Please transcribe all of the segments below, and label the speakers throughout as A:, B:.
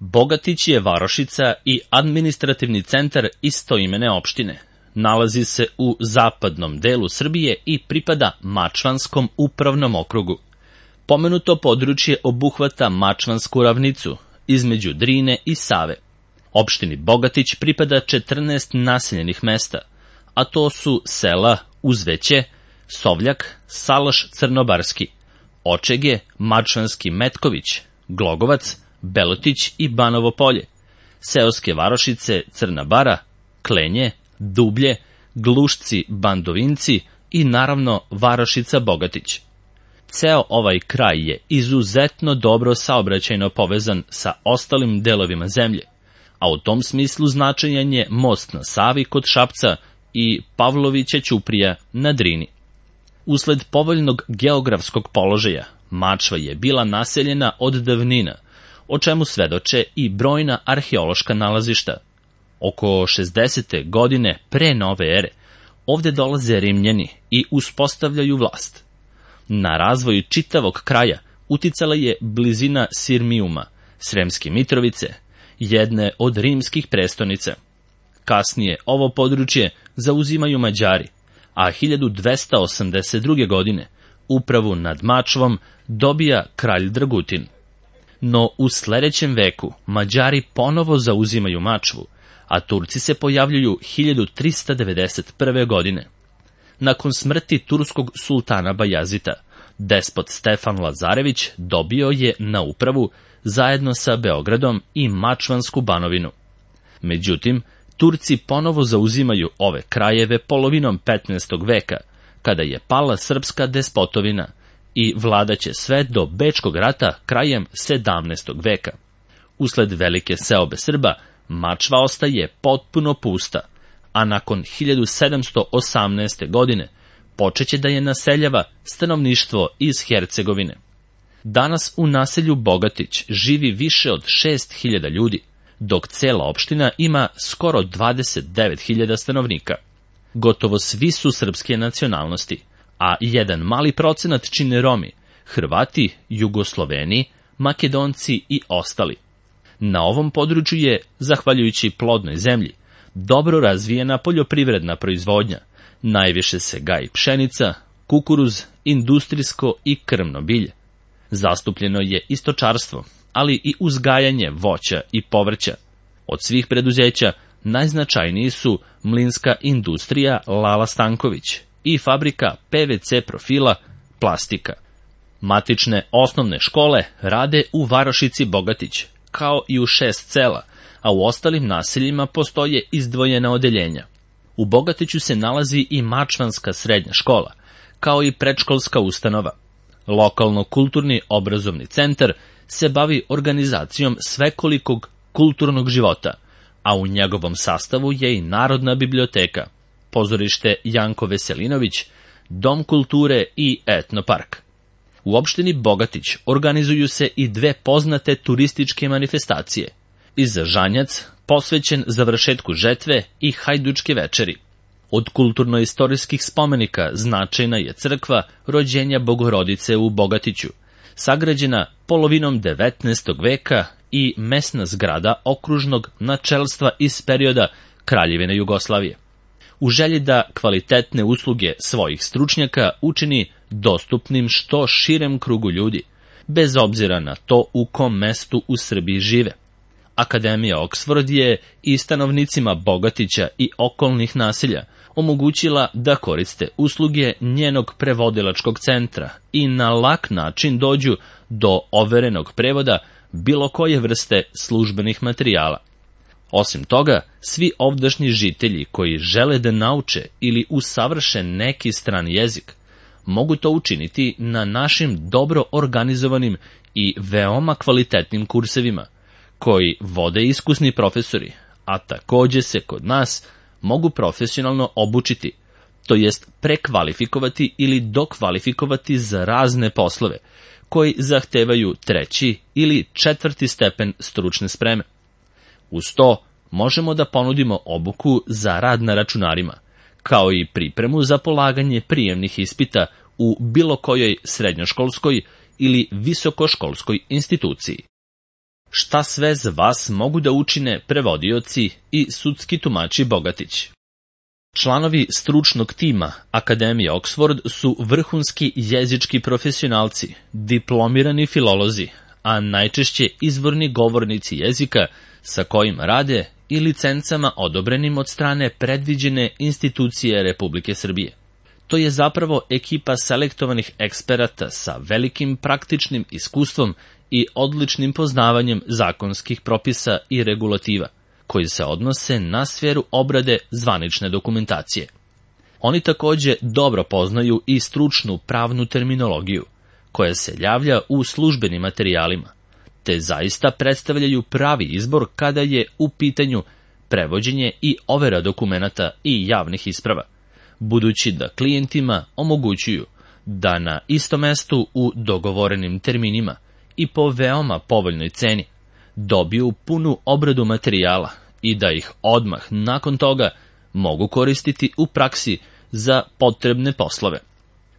A: Bogatić je varošica i administrativni centar istoimene opštine. Nalazi se u zapadnom delu Srbije i pripada Mačvanskom upravnom okrugu. Pomenuto područje obuhvata Mačvansku ravnicu između Drine i Save. Opštini Bogatić pripada 14 naseljenih mesta, a to su sela Uzveće, Sovljak, Salaš Crnobarski, Očege, Mačvanski Metković, Glogovac, Belotić i Banovo Polje, seoske varošice Crna Bara, Klenje, Dublje, Glušci, Bandovinci i naravno varošica Bogatić. Ceo ovaj kraj je izuzetno dobro saobraćajno povezan sa ostalim delovima zemlje, a u tom smislu značajan je most na Savi kod Šapca i Pavlovića Ćuprija na Drini. Usled povoljnog geografskog položaja, Mačva je bila naseljena od davnina, o čemu svedoče i brojna arheološka nalazišta. Oko 60. godine pre nove ere ovde dolaze Rimljani i uspostavljaju vlast. Na razvoj čitavog kraja uticala je blizina Sirmijuma, Sremske Mitrovice, jedne od rimskih prestonica. Kasnije ovo područje zauzimaju Mađari, a 1282. godine upravu nad Mačvom dobija kralj Dragutin. No u sledećem veku Mađari ponovo zauzimaju Mačvu, a Turci se pojavljuju 1391. godine. Nakon smrti turskog sultana Bajazita, despot Stefan Lazarević dobio je na upravu zajedno sa Beogradom i Mačvansku banovinu. Međutim, Turci ponovo zauzimaju ove krajeve polovinom 15. veka, kada je pala srpska despotovina, i vladaće sve do Bečkog rata krajem 17. veka. Usled velike seobe Srba, Mačva ostaje potpuno pusta, a nakon 1718. godine počeće da je naseljava stanovništvo iz Hercegovine. Danas u naselju Bogatić živi više od 6.000 ljudi, dok cela opština ima skoro 29.000 stanovnika. Gotovo svi su srpske nacionalnosti, a jedan mali procenat čine Romi, Hrvati, Jugosloveni, Makedonci i ostali. Na ovom području je, zahvaljujući plodnoj zemlji, dobro razvijena poljoprivredna proizvodnja. Najviše se gaji pšenica, kukuruz, industrijsko i krmno bilje. Zastupljeno je i stočarstvo, ali i uzgajanje voća i povrća. Od svih preduzeća najznačajniji su mlinska industrija Lala Stanković i fabrika PVC profila Plastika. Matične osnovne škole rade u varošici Bogatić, kao i u 6 sela, a u ostalim naseljima postoje izdvojena odeljenja. U Bogatiću se nalazi i Mačvanska srednja škola, kao i predškolska ustanova. Lokalno-kulturni obrazovni centar se bavi organizacijom svekolikog kulturnog života, a u njegovom sastavu je i Narodna biblioteka, pozorište Janko Veselinović, Dom kulture i etnopark. U opštini Bogatić organizuju se i 2 poznate turističke manifestacije. Žanjac, posvećen završetku žetve, i Hajdučke večeri. Od kulturno-istorijskih spomenika značajna je crkva Rođenja Bogorodice u Bogatiću, sagrađena polovinom 19. veka, i mesna zgrada okružnog načelstva iz perioda Kraljevine Jugoslavije. U želji da kvalitetne usluge svojih stručnjaka učini dostupnim što širem krugu ljudi, bez obzira na to u kom mestu u Srbiji žive. Akademija Oksford je i stanovnicima Bogatića i okolnih naselja omogućila da koriste usluge njenog prevodilačkog centra i na lak način dođu do overenog prevoda bilo koje vrste službenih materijala. Osim toga, svi ovdašnji žitelji koji žele da nauče ili usavrše neki strani jezik, mogu to učiniti na našim dobro organizovanim i veoma kvalitetnim kursevima, koji vode iskusni profesori, a takođe se kod nas mogu profesionalno obučiti, to jest prekvalifikovati ili dokvalifikovati za razne poslove, koji zahtevaju 3. ili 4. stepen stručne spreme. Uz to, možemo da ponudimo obuku za rad na računarima, kao i pripremu za polaganje prijemnih ispita u bilo kojoj srednjoškolskoj ili visokoškolskoj instituciji. Šta sve za vas mogu da učine prevodioci i sudski tumači Bogatić? Članovi stručnog tima Akademije Oxford su vrhunski jezički profesionalci, diplomirani filolozi, a najčešće izvorni govornici jezika sa kojim rade i licencama odobrenim od strane predviđene institucije Republike Srbije. To je zapravo ekipa selektovanih eksperata sa velikim praktičnim iskustvom i odličnim poznavanjem zakonskih propisa i regulativa, koji se odnose na sferu obrade zvanične dokumentacije. Oni takođe dobro poznaju i stručnu pravnu terminologiju, koja se javlja u službenim materijalima, te zaista predstavljaju pravi izbor kada je u pitanju prevođenje i overa dokumenata i javnih isprava, budući da klijentima omogućuju da na istom mestu u dogovorenim terminima i po veoma povoljnoj ceni dobiju punu obradu materijala i da ih odmah nakon toga mogu koristiti u praksi za potrebne poslove.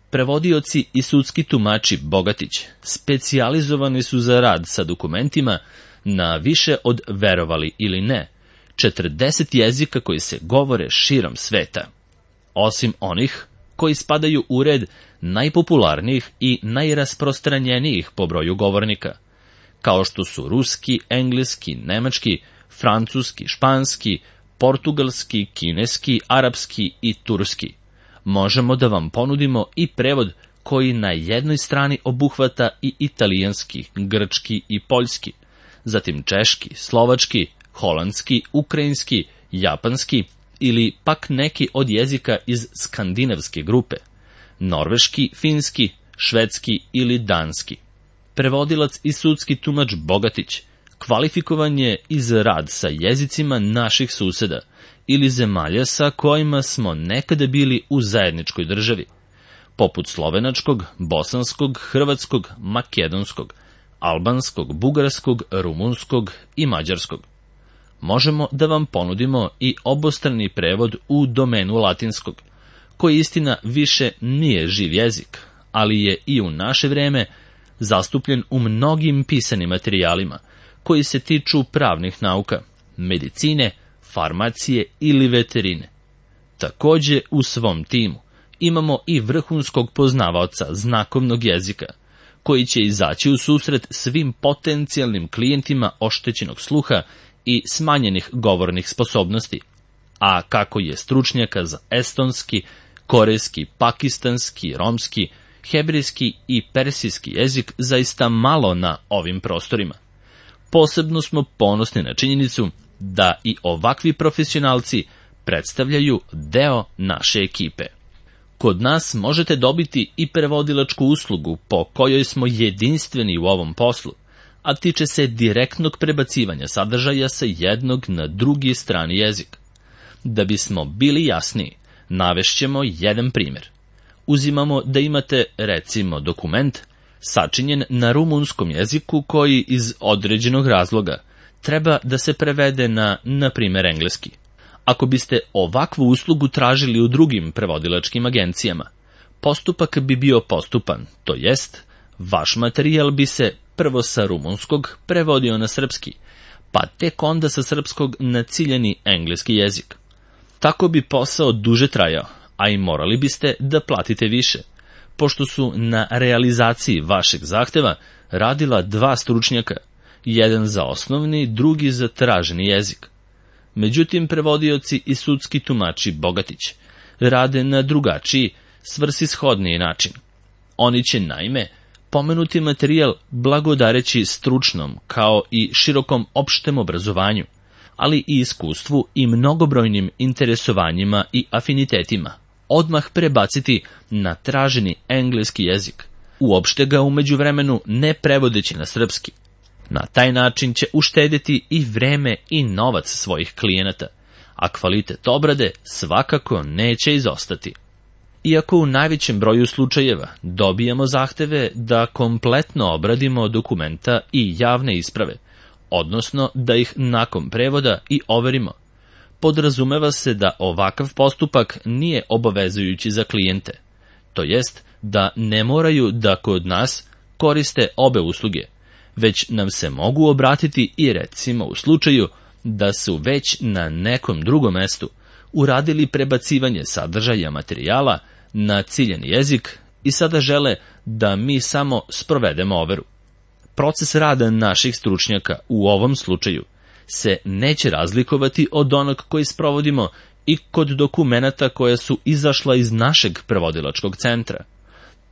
A: Prevodioci i sudski tumači Bogatić specijalizovani su za rad sa dokumentima na više od, verovali ili ne, 40 jezika koji se govore širom sveta, osim onih koji spadaju u red najpopularnijih i najrasprostranjenijih po broju govornika, kao što su ruski, engleski, nemački, francuski, španski, portugalski, kineski, arapski i turski. Možemo da vam ponudimo i prevod koji na jednoj strani obuhvata i italijanski, grčki i poljski, zatim češki, slovački, holandski, ukrajinski, japanski ili pak neki od jezika iz skandinavske grupe, norveški, finski, švedski ili danski. Prevodilac i sudski tumač Bogatić kvalifikovan je i za rad sa jezicima naših suseda ili zemalja sa kojima smo nekada bili u zajedničkoj državi, poput slovenačkog, bosanskog, hrvatskog, makedonskog, albanskog, bugarskog, rumunskog i mađarskog. Možemo da vam ponudimo i obostrani prevod u domenu latinskog, koji istina više nije živ jezik, ali je i u naše vreme zastupljen u mnogim pisanim materijalima koji se tiču pravnih nauka, medicine, farmacije ili veterine. Takođe u svom timu imamo i vrhunskog poznavaoca znakovnog jezika, koji će izaći u susret svim potencijalnim klijentima oštećenog sluha i smanjenih govornih sposobnosti, a kako je stručnjaka za estonski, korejski, pakistanski, romski, hebrejski i persijski jezik zaista malo na ovim prostorima. Posebno smo ponosni na činjenicu da i ovakvi profesionalci predstavljaju deo naše ekipe. Kod nas možete dobiti i prevodilačku uslugu po kojoj smo jedinstveni u ovom poslu, a tiče se direktnog prebacivanja sadržaja sa jednog na drugi strani jezik. Da bismo bili jasniji, navešćemo jedan primjer. Uzimamo da imate, recimo, dokument sačinjen na rumunskom jeziku koji iz određenog razloga treba da se prevede na primjer, engleski. Ako biste ovakvu uslugu tražili u drugim prevodilačkim agencijama, postupak bi bio postupan, to jest, vaš materijal bi se prvo sa rumunskog prevodio na srpski, pa tek onda sa srpskog na ciljani engleski jezik. Tako bi posao duže trajao, a i morali biste da platite više, pošto su na realizaciji vašeg zahteva radila dva stručnjaka, jedan za osnovni, drugi za traženi jezik. Međutim, prevodioci i sudski tumači Bogatić rade na drugačiji, svrsishodniji način. Oni će, naime, pomenuti materijal blagodareći stručnom kao i širokom opštem obrazovanju, ali i iskustvu i mnogobrojnim interesovanjima i afinitetima, odmah prebaciti na traženi engleski jezik, uopšte ga u međuvremenu ne prevodeći na srpski. Na taj način će uštedeti i vreme i novac svojih klijenata, a kvalitet obrade svakako neće izostati. Iako u najvećem broju slučajeva dobijamo zahteve da kompletno obradimo dokumenta i javne isprave, odnosno da ih nakon prevoda i overimo, podrazumeva se da ovakav postupak nije obavezujući za klijente, to jest da ne moraju da kod nas koriste obe usluge, već nam se mogu obratiti i recimo u slučaju da su već na nekom drugom mestu uradili prebacivanje sadržaja materijala na ciljani jezik i sada žele da mi samo sprovedemo overu. Proces rada naših stručnjaka u ovom slučaju se neće razlikovati od onog koji sprovodimo i kod dokumenata koja su izašla iz našeg prevodilačkog centra.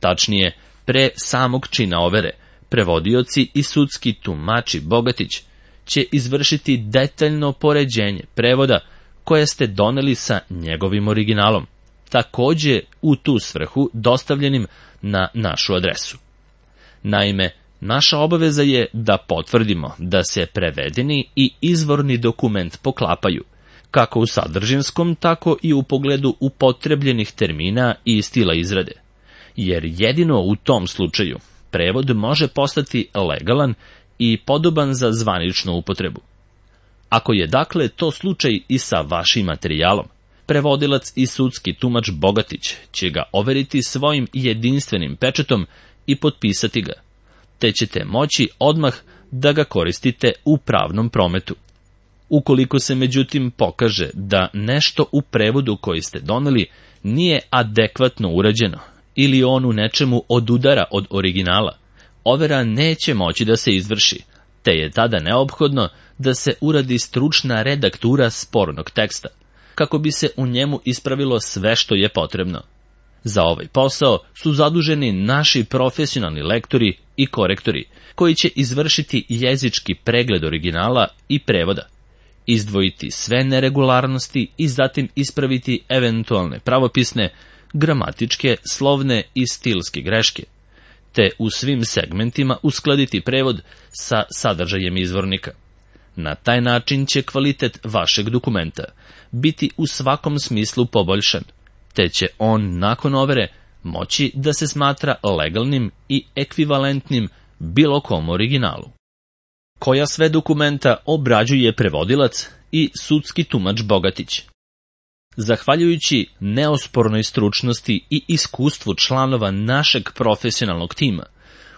A: Tačnije, pre samog čina overe, prevodioci i sudski tumači Bogatić će izvršiti detaljno poređenje prevoda koje ste doneli sa njegovim originalom, takođe u tu svrhu dostavljenim na našu adresu. Naime, naša obaveza je da potvrdimo da se prevedeni i izvorni dokument poklapaju, kako u sadržinskom, tako i u pogledu upotrebljenih termina i stila izrade, jer jedino u tom slučaju prevod može postati legalan i podoban za zvaničnu upotrebu. Ako je dakle to slučaj i sa vašim materijalom, prevodilac i sudski tumač Bogatić će ga overiti svojim jedinstvenim pečatom i potpisati ga, te ćete moći odmah da ga koristite u pravnom prometu. Ukoliko se međutim pokaže da nešto u prevodu koji ste doneli nije adekvatno urađeno ili on u nečemu odudara od originala, overa neće moći da se izvrši, te je tada neophodno da se uradi stručna redaktura spornog teksta, kako bi se u njemu ispravilo sve što je potrebno. Za ovaj posao su zaduženi naši profesionalni lektori i korektori, koji će izvršiti jezički pregled originala i prevoda, izdvojiti sve neregularnosti i zatim ispraviti eventualne pravopisne, gramatičke, slovne i stilske greške, te u svim segmentima uskladiti prevod sa sadržajem izvornika. Na taj način će kvalitet vašeg dokumenta biti u svakom smislu poboljšan, te će on nakon overe moći da se smatra legalnim i ekvivalentnim bilo kom originalu. Koja sve dokumenta obrađuje prevodilac i sudski tumač Bogatić? Zahvaljujući neospornoj stručnosti i iskustvu članova našeg profesionalnog tima,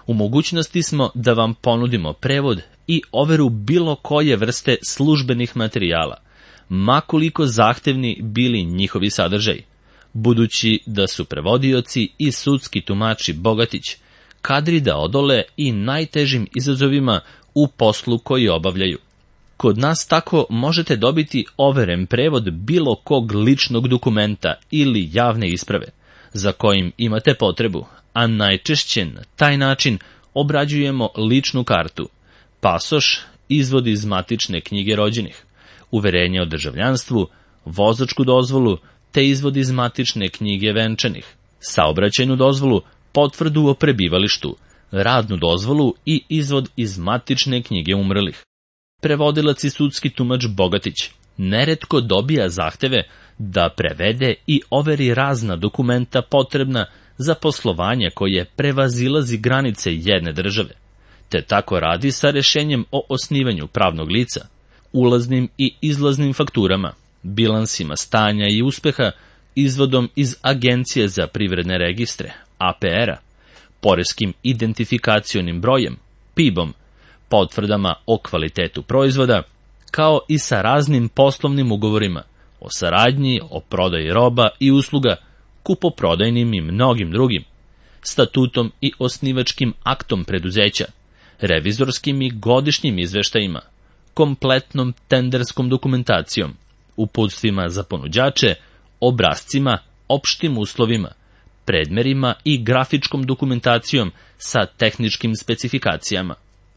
A: u mogućnosti smo da vam ponudimo prevod i overu bilo koje vrste službenih materijala, ma koliko zahtevni bili njihovi sadržaj, budući da su prevodioci i sudski tumači Bogatić kadri da odole i najtežim izazovima u poslu koji obavljaju. Kod nas tako možete dobiti overen prevod bilo kog ličnog dokumenta ili javne isprave, za kojim imate potrebu, a najčešće na taj način obrađujemo ličnu kartu, pasoš, izvod iz matične knjige rođenih, uverenje o državljanstvu, vozačku dozvolu, te izvod iz matične knjige venčanih, saobraćajnu dozvolu, potvrdu o prebivalištu, radnu dozvolu i izvod iz matične knjige umrlih. Prevodilac i sudski tumač Bogatić neretko dobija zahteve da prevede i overi razna dokumenta potrebna za poslovanje koje prevazilazi granice jedne države, te tako radi sa rešenjem o osnivanju pravnog lica, ulaznim i izlaznim fakturama, bilansima stanja i uspeha, izvodom iz Agencije za privredne registre, APR-a, poreskim identifikacionim brojem, PIB-om, potvrdama o kvalitetu proizvoda, kao i sa raznim poslovnim ugovorima o saradnji, o prodaji roba i usluga, kupoprodajnim i mnogim drugim, statutom i osnivačkim aktom preduzeća, revizorskim i godišnjim izveštajima, kompletnom tenderskom dokumentacijom, uputstvima za ponuđače, obrascima, opštim uslovima, predmerima i grafičkom dokumentacijom sa tehničkim specifikacijama,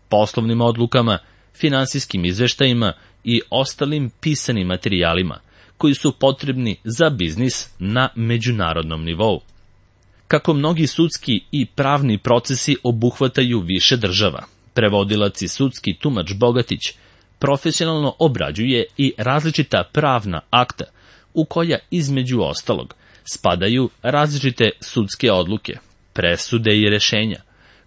A: poslovnim odlukama, finansijskim izveštajima i ostalim pisanim materijalima koji su potrebni za biznis na međunarodnom nivou. Kako mnogi sudski i pravni procesi obuhvataju više država, prevodilac i sudski tumač Bogatić profesionalno obrađuje i različita pravna akta u koja između ostalog spadaju različite sudske odluke, presude i rešenja,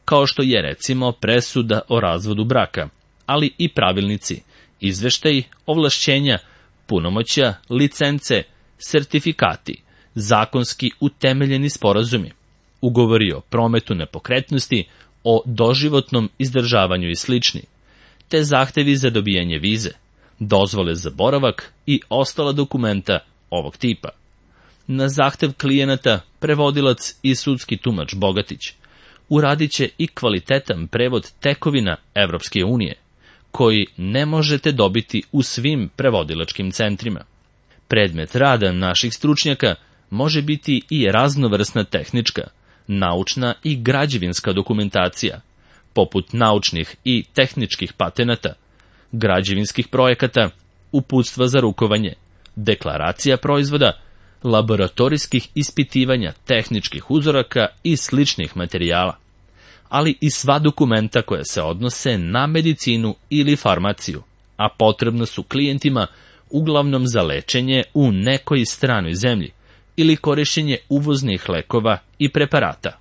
A: kao što je recimo presuda o razvodu braka, ali i pravilnici, izveštaji, ovlašćenja, punomoćja, licence, sertifikati, zakonski utemeljeni sporazumi, ugovori o prometu nepokretnosti, o doživotnom izdržavanju i slični, te zahtevi za dobijanje vize, dozvole za boravak i ostala dokumenta ovog tipa. Na zahtev klijenata prevodilac i sudski tumač Bogatić uradit će i kvalitetan prevod tekovina Evropske unije, koji ne možete dobiti u svim prevodilačkim centrima. Predmet rada naših stručnjaka može biti i raznovrsna tehnička, naučna i građevinska dokumentacija, poput naučnih i tehničkih patenata, građevinskih projekata, uputstva za rukovanje, deklaracija proizvoda, laboratorijskih ispitivanja tehničkih uzoraka i sličnih materijala, ali i sva dokumenta koja se odnose na medicinu ili farmaciju, a potrebna su klijentima uglavnom za lečenje u nekoj stranoj zemlji ili korišćenje uvoznih lekova i preparata.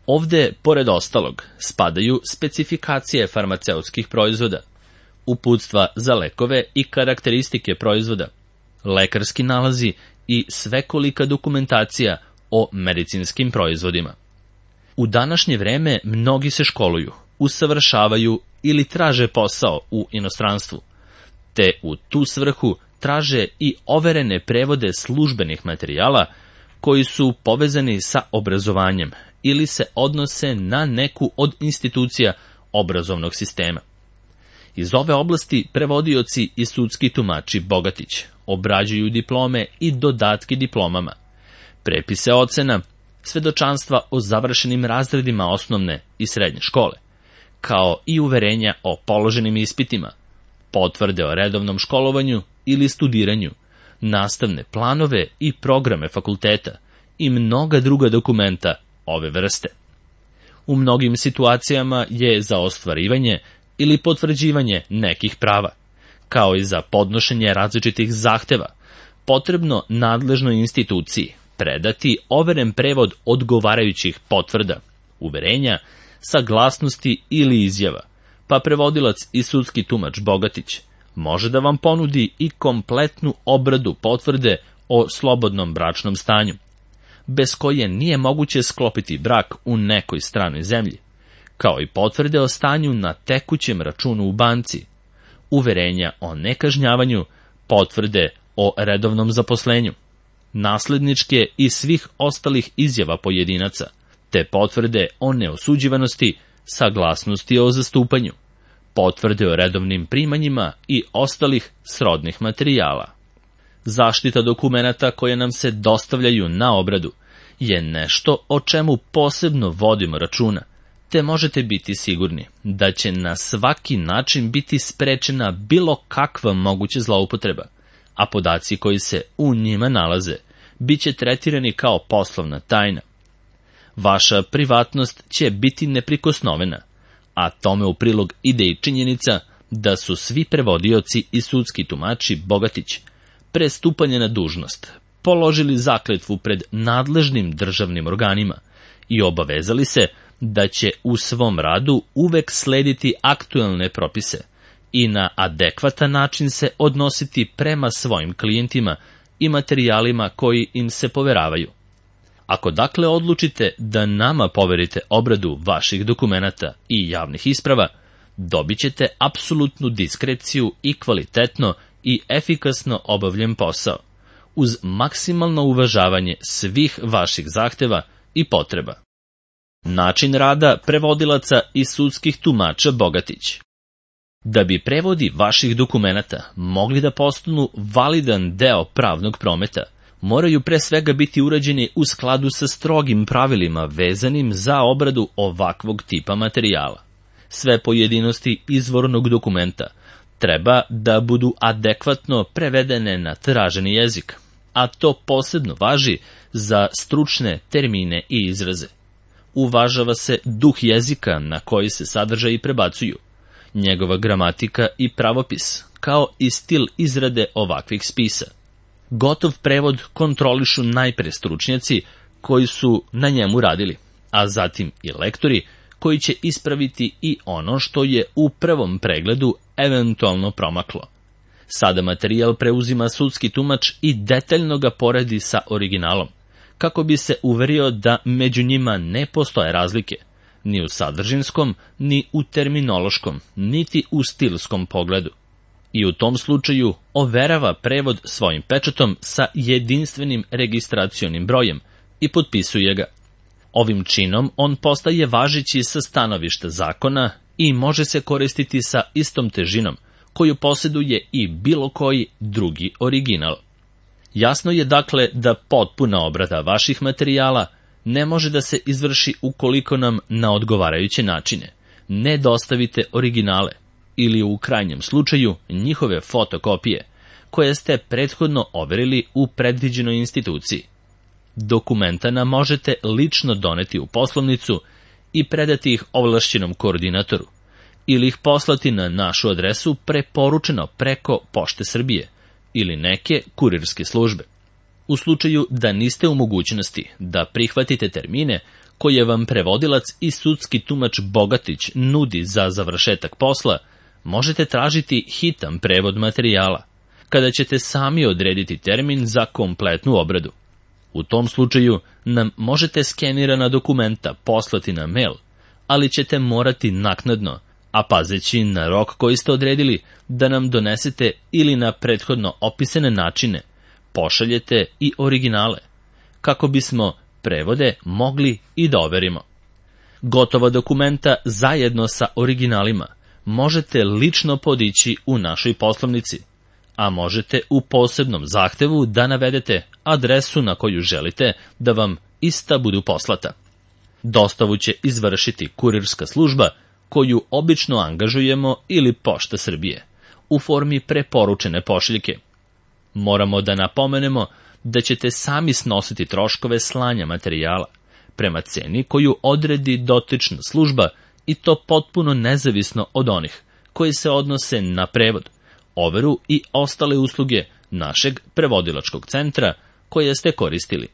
A: Ovde, pored ostalog, spadaju specifikacije farmaceutskih proizvoda, uputstva za lekove i karakteristike proizvoda, lekarski nalazi i svekolika dokumentacija o medicinskim proizvodima. U današnje vreme mnogi se školuju, usavršavaju ili traže posao u inostranstvu, te u tu svrhu traže i overene prevode službenih materijala koji su povezani sa obrazovanjem ili se odnose na neku od institucija obrazovnog sistema. Iz ove oblasti prevodioci i sudski tumači Bogatić obrađuju diplome i dodatke diplomama, prepise ocena, svedočanstva o završenim razredima osnovne i srednje škole, kao i uverenja o položenim ispitima, potvrde o redovnom školovanju ili studiranju, nastavne planove i programe fakulteta i mnoga druga dokumenta ove vrste. U mnogim situacijama je za ostvarivanje ili potvrđivanje nekih prava, kao i za podnošenje različitih zahteva, potrebno nadležnoj instituciji predati overen prevod odgovarajućih potvrda, uverenja, saglasnosti ili izjava, pa prevodilac i sudski tumač Bogatić može da vam ponudi i kompletnu obradu potvrde o slobodnom bračnom stanju, bez koje nije moguće sklopiti brak u nekoj stranoj zemlji, kao i potvrde o stanju na tekućem računu u banci, uverenja o nekažnjavanju, potvrde o redovnom zaposlenju, nasledničke i svih ostalih izjava pojedinaca, te potvrde o neosuđivanosti, saglasnosti o zastupanju, potvrde o redovnim primanjima i ostalih srodnih materijala. Zaštita dokumenata koje nam se dostavljaju na obradu je nešto o čemu posebno vodimo računa, te možete biti sigurni da će na svaki način biti sprečena bilo kakva moguća zloupotreba, a podaci koji se u njima nalaze bit će tretirani kao poslovna tajna. Vaša privatnost će biti neprikosnovena, a tome u prilog ide i činjenica da su svi prevodioci i sudski tumači Bogatić pre stupanja na dužnost položili zakletvu pred nadležnim državnim organima i obavezali se da će u svom radu uvek slediti aktuelne propise i na adekvatan način se odnositi prema svojim klijentima i materijalima koji im se poveravaju. Ako dakle odlučite da nama poverite obradu vaših dokumenata i javnih isprava, dobit ćete apsolutnu diskreciju i kvalitetno i efikasno obavljen posao, uz maksimalno uvažavanje svih vaših zahteva i potreba. Način rada prevodilaca i sudskih tumača Bogatić. Da bi prevodi vaših dokumenata mogli da postanu validan deo pravnog prometa, moraju pre svega biti urađeni u skladu sa strogim pravilima vezanim za obradu ovakvog tipa materijala. Sve pojedinosti izvornog dokumenta treba da budu adekvatno prevedene na traženi jezik, a to posebno važi za stručne termine i izraze. Uvažava se duh jezika na koji se sadržaji prebacuju, njegova gramatika i pravopis, kao i stil izrade ovakvih spisa. Gotov prevod kontrolišu najpre stručnjaci koji su na njemu radili, a zatim i lektori koji će ispraviti i ono što je u prvom pregledu eventualno promaklo. Sada materijal preuzima sudski tumač i detaljno ga poredi sa originalom, kako bi se uverio da među njima ne postoje razlike, ni u sadržinskom, ni u terminološkom, niti u stilskom pogledu. I u tom slučaju overava prevod svojim pečatom sa jedinstvenim registracionim brojem i potpisuje ga. Ovim činom on postaje važeći sa stanovišta zakona i može se koristiti sa istom težinom koju posjeduje i bilo koji drugi original. Jasno je dakle da potpuna obrada vaših materijala ne može da se izvrši ukoliko nam na odgovarajuće načine ne dostavite originale ili u krajnjem slučaju njihove fotokopije koje ste prethodno overili u predviđenoj instituciji. Dokumenta nam možete lično doneti u poslovnicu i predati ih ovlašćenom koordinatoru ili ih poslati na našu adresu preporučeno preko Pošte Srbije ili neke kurirske službe. U slučaju da niste u mogućnosti da prihvatite termine koje vam prevodilac i sudski tumač Bogatić nudi za završetak posla, možete tražiti hitan prevod materijala, kada ćete sami odrediti termin za kompletnu obradu. U tom slučaju nam možete skenirana dokumenta poslati na mail, ali ćete morati naknadno, a pazeći na rok koji ste odredili, da nam donesete ili na prethodno opisane načine pošaljete i originale, kako bismo prevode mogli i da overimo. Gotova dokumenta zajedno sa originalima možete lično podići u našoj poslovnici, a možete u posebnom zahtevu da navedete adresu na koju želite da vam ista budu poslata. Dostavu će izvršiti kurirska služba koju obično angažujemo ili Pošta Srbije u formi preporučene pošiljke. Moramo da napomenemo da ćete sami snositi troškove slanja materijala prema ceni koju odredi dotična služba i to potpuno nezavisno od onih koji se odnose na prevod, overu i ostale usluge našeg prevodilačkog centra koje ste koristili.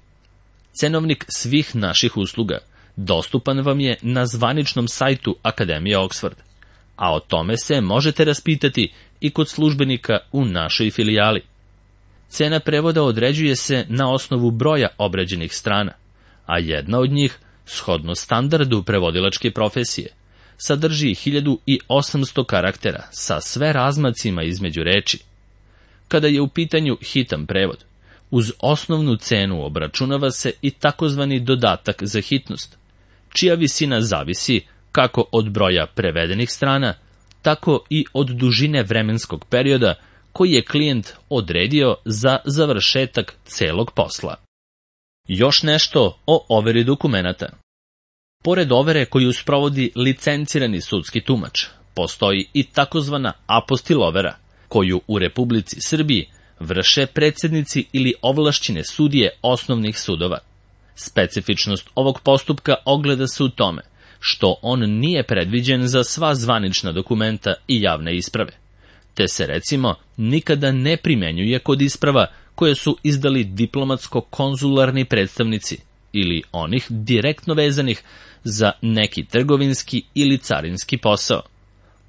A: Cenovnik svih naših usluga dostupan vam je na zvaničnom sajtu Akademije Oxford, a o tome se možete raspitati i kod službenika u našoj filijali. Cena prevoda određuje se na osnovu broja obrađenih strana, a jedna od njih, shodno standardu prevodilačke profesije, sadrži 1800 karaktera sa sve razmacima između reči. Kada je u pitanju hitan prevod, uz osnovnu cenu obračunava se i takozvani dodatak za hitnost, čija visina zavisi kako od broja prevedenih strana, tako i od dužine vremenskog perioda koji je klijent odredio za završetak celog posla. Još nešto o overi dokumenata. Pored overe koju sprovodi licencirani sudski tumač, postoji i takozvana apostil overa, koju u Republici Srbiji vrše predsednici ili ovlašćene sudije osnovnih sudova. Specifičnost ovog postupka ogleda se u tome što on nije predviđen za sva zvanična dokumenta i javne isprave, te se recimo nikada ne primenjuje kod isprava koje su izdali diplomatsko-konzularni predstavnici ili onih direktno vezanih za neki trgovinski ili carinski posao.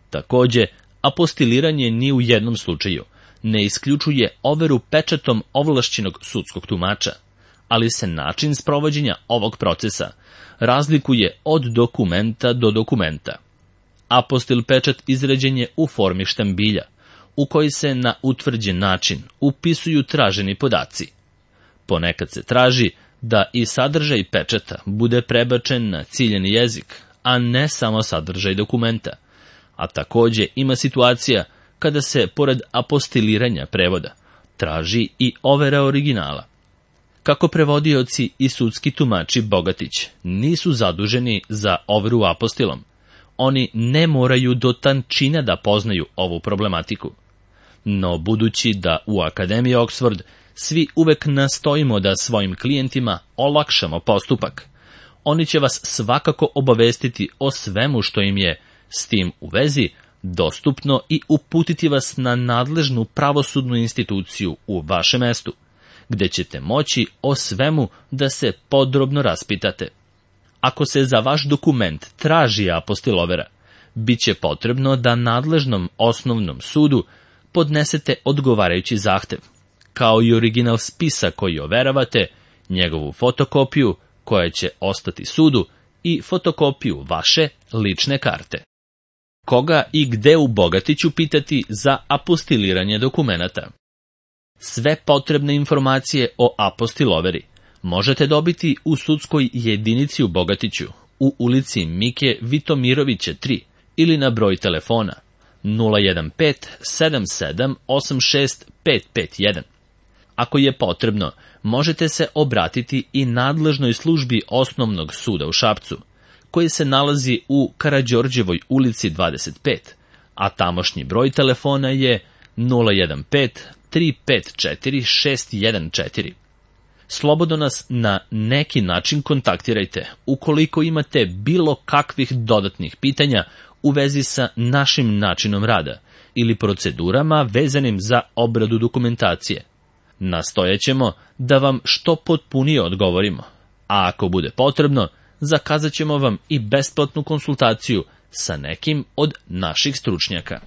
A: Takođe, apostiliranje ni u jednom slučaju ne isključuje overu pečatom ovlašćenog sudskog tumača, ali se način sprovođenja ovog procesa razlikuje od dokumenta do dokumenta. Apostil pečat izrađen je u formi štambilja, u koji se na utvrđen način upisuju traženi podaci. Ponekad se traži da i sadržaj pečata bude prebačen na ciljeni jezik, a ne samo sadržaj dokumenta, a takođe ima situacija kada se, pored apostiliranja prevoda, traži i overa originala. Kako prevodioci i sudski tumači Bogatić nisu zaduženi za overu apostilom, oni ne moraju do tančina da poznaju ovu problematiku. No budući da u Akademiji Oxford svi uvek nastojimo da svojim klijentima olakšamo postupak, oni će vas svakako obavestiti o svemu što im je s tim u vezi dostupno i uputiti vas na nadležnu pravosudnu instituciju u vašem mestu, gde ćete moći o svemu da se podrobno raspitate. Ako se za vaš dokument traži apostil overa, bit će potrebno da nadležnom osnovnom sudu podnesete odgovarajući zahtev, kao i original spisa koji overavate, njegovu fotokopiju koja će ostati sudu i fotokopiju vaše lične karte. Koga i gde u Bogatiću pitati za apostiliranje dokumenata? Sve potrebne informacije o apostiloveri možete dobiti u sudskoj jedinici u Bogatiću, u ulici Mike Vitomirovića 3 ili na broj telefona 015 77 86 551. Ako je potrebno, možete se obratiti i nadležnoj službi Osnovnog suda u Šapcu, koji se nalazi u Karađorđevoj ulici 25, a tamošnji broj telefona je 015 354 614. Slobodno nas na neki način kontaktirajte ukoliko imate bilo kakvih dodatnih pitanja u vezi sa našim načinom rada ili procedurama vezanim za obradu dokumentacije. Nastojaćemo da vam što potpunije odgovorimo, a ako bude potrebno, zakazat ćemo vam i besplatnu konsultaciju sa nekim od naših stručnjaka.